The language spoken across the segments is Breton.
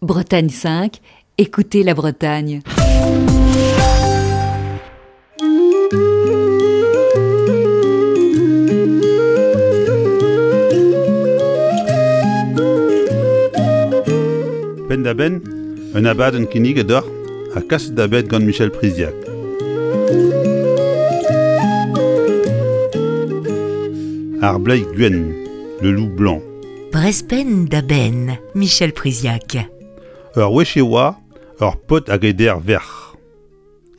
Bretagne 5, écoutez la Bretagne. Penn-da-benn, un abadenn kinniget deoc'h ha kaset da benn gant Michel Priziac. Ar bleiz gwenn, le loup blanc. Brezh-penn da benn, Michel Priziac. Ur wech e oa ur paotr hag e deir verc'h.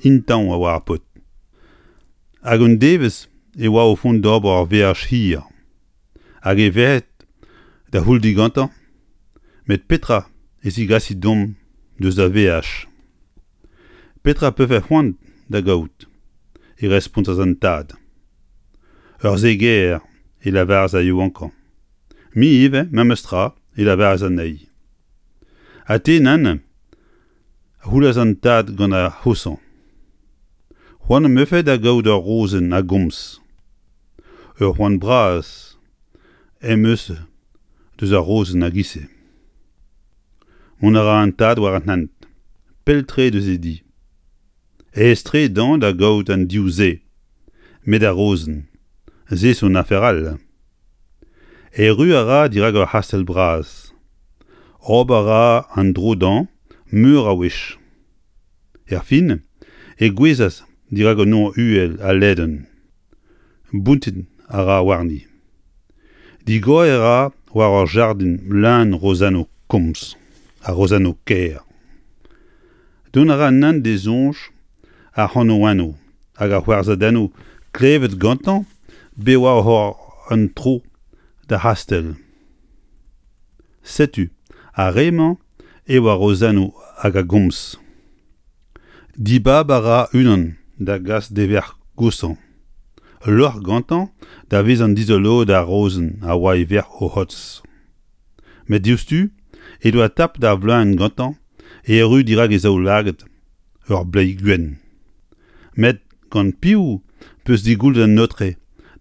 Intañv a oa ar paotr. Hag un devezh e oa o vont d'ober ur veaj hir. Hag e verc'hed da c'houl digantañ Met petra e zigasi deomp deus da veaj? Petra 'pefe c'hoant da gaout? e respontas an tad. Ur zeger e lavaras ar yaouankañ. Me ivez, memes tra, e lavaras anezhi. Ha te, nann? a c'houlas an tad gant ar c'hoshañ. C'hoant am efe da gaout ur rozenn a gomz. Ur c'hoant bras em eus deus ar rozenn a-giz-se. Mont a ra an tad war an hent, pell-tre deus e di. Aes-tre dezhañ da gaout an div-se, met ar rozenn, se zo un afer all. Erru a ra dirak ur c'hastell bras. Ober a ra an dro dezhañ meur a wech. Erfin e gouezhas dirak un nor uhel ha ledan. Bountiñ a ra warni. Digoriñ a ra war ur jardin leun rozennoù komz ha rozennoù kaer. Dont a ra nann d'e soñj ar c'hanaouennoù hag ar c'hoarzhadennoù klevet gantañ bet oa oc'h ober un tro d'ar c'hastell. Setu ar re-mañ eo ar rozennoù hag a gomz. Dibab a ra unan da gas d'e verc'h goshañ. Lorc'h gantañ da vezañ dizoloet ar rozenn a oa e verc'h o c'hotz. Met diouzhtu he doa tapet ar vleuñv gantañ e erru dirak e zaoulagad ur bleiz gwenn. Met gant piv 'peus digoullet an aotre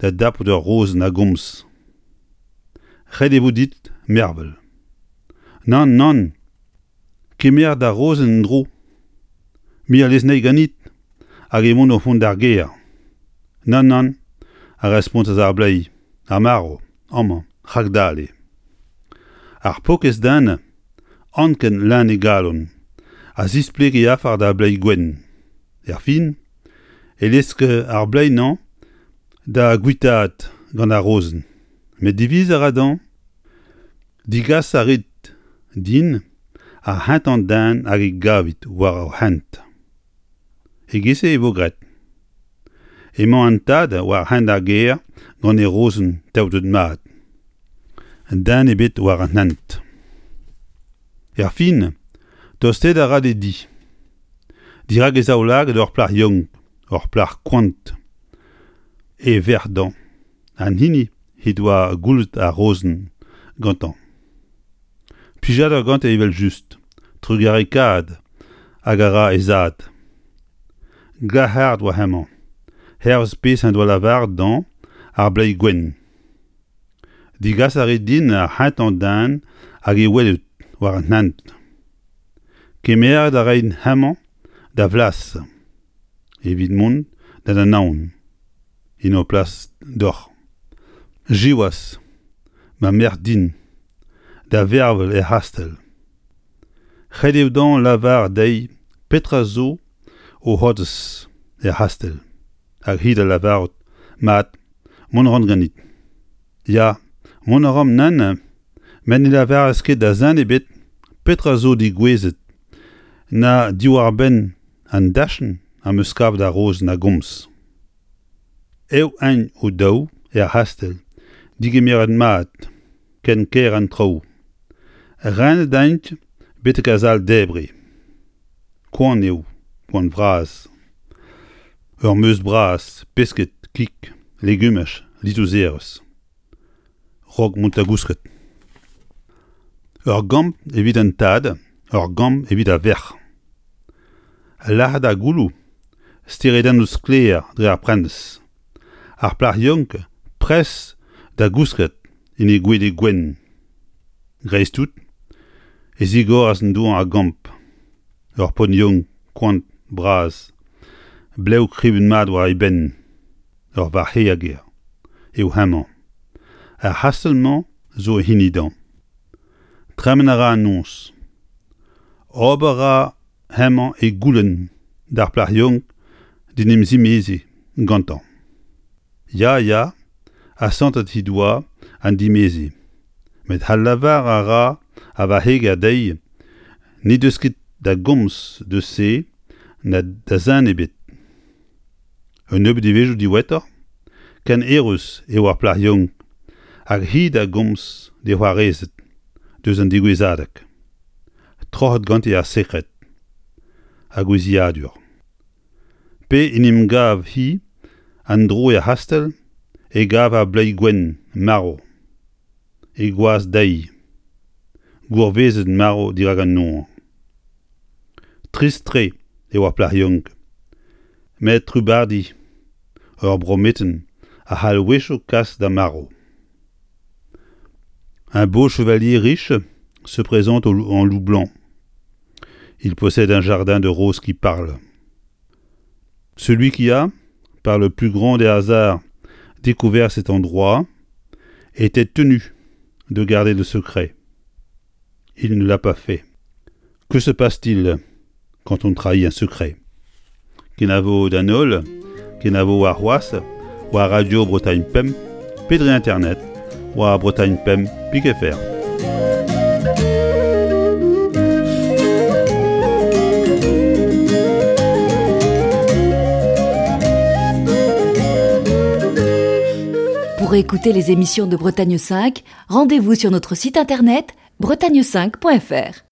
da dapout ur rozenn a gomz? Ret e vo dit mervel. Nann, nann, kemer da rozenn en-dro. Me a lez anezhi ganit hag emaon o vont d'ar gêr. Nann, nann, a respontas ar bleiz, ar marv, amañ, rakdale. Ar paourkaezh den, anken leun e galon, a zispleg e afer d'ar bleiz gwenn. Erfin e lesk ar bleiz-mañ da guitaat gant ar rozenn. Met diviz a ra dezhañ Degas a rit din ar c'hentañ den hag e gavit war hoc'h hent. E-giz-se e vo graet. Emañ an tad war hent ar gêr gant e rozenn taotet mat. Den ebet war an hent. Erfin, tostaet a ra d'e di. Dirak e zaoulagad ur plac'h yaouank, ur plac'h koant, e verc'h dezhañ. An hini he doa goullet ar rozenn gantañ. Plijadur gante evel-just, trugarekaat hag a ra he zad. Glac'haret oa hemañ, hervez pezh en doa lavaret dezhañ ar bleiz gwenn. Degas a rit din ar c'hentañ den hag e welout war an hent. Kemeret a raint hemañ da vlas evit mont d'an anaon. En ho plas deoc'h. Siwazh, ma merc'h din, da vervel er c'hastell. Ret eo dezhañ lavaret dezhi petra zo o c'hortoz er c'hastell. Hag hi da lavarout, mat, mont a ran ganit. Ya, mont a ran nann, met ne lavaras ket da zen ebet petra zo degouezhet na diwar-benn an dachenn am eus kavet ar rozenn a gomz. Eo eñ o-daou er c'hastell, degemeret mat, ken kaer an traoù. Renet int betek ar sal-debriñ. Koant eo, koant vras. Ur meuz bras, pesked, kig, legumaj, litouzerezh. 'Raok mont da gousket. Ur gambr evit an tad, ur gambr evit ar verc'h. Lac'het ar gouloù, steredennoù sklaer dre ar prenestr. Ar plac'h yaouank prest da gousket en he gwele gwenn. Dreist-tout. e zigoras an dour a gamp. Ur paotr yaouank koant, bras, blev kribet mat war e benn, ur varc'heger eo hemañ. Ar c'hastell-mañ zo e hini dezhañ. Tremen a ra an noz. Ober a ra hemañ e goulenn d'ar plac'h yaouank d'en em zimeziñ gantañ. Ya, ya, asantet he doa an dimeziñ, met adlavar a ra ar varc'heger dezhi n'he deus ket da gomz deus se na da zen ebet. Un nebeud devezhioù diwezhatoc'h, ken eürus eo ar plac'h yaouank hag hi da gomz d'he c'hoarezed deus an degouezhadeg. Troc'het ganti ar sekred hag gouiziadur. Pe en em gav-hi en-dro er c'hastell e gav ar bleiz gwenn marv he gwaz dezhi, gourvezet marv dirak an nor. Trist-tre eo ar plac'h yaouank, met trubardiñ ur brometenn a c'hall a-wechoù kas d'ar marv. Un beau chevalier riche se présente en loup blanc. Il possède un jardin de roses qui parle. Celui qui a, par le plus grand des hasards, découvert cet endroit, était tenu de garder le secret. Il ne l'a pas fait. Que se passe-t-il quand on trahit un secret Kenavo d'an holl, kenavo warc'hoazh, war Radio Bretagne Pemp, pe dre internet, war Bretagne Pemp pik FR. Pour écouter les émissions de Bretagne 5, rendez-vous sur notre site internet bretagne5.fr.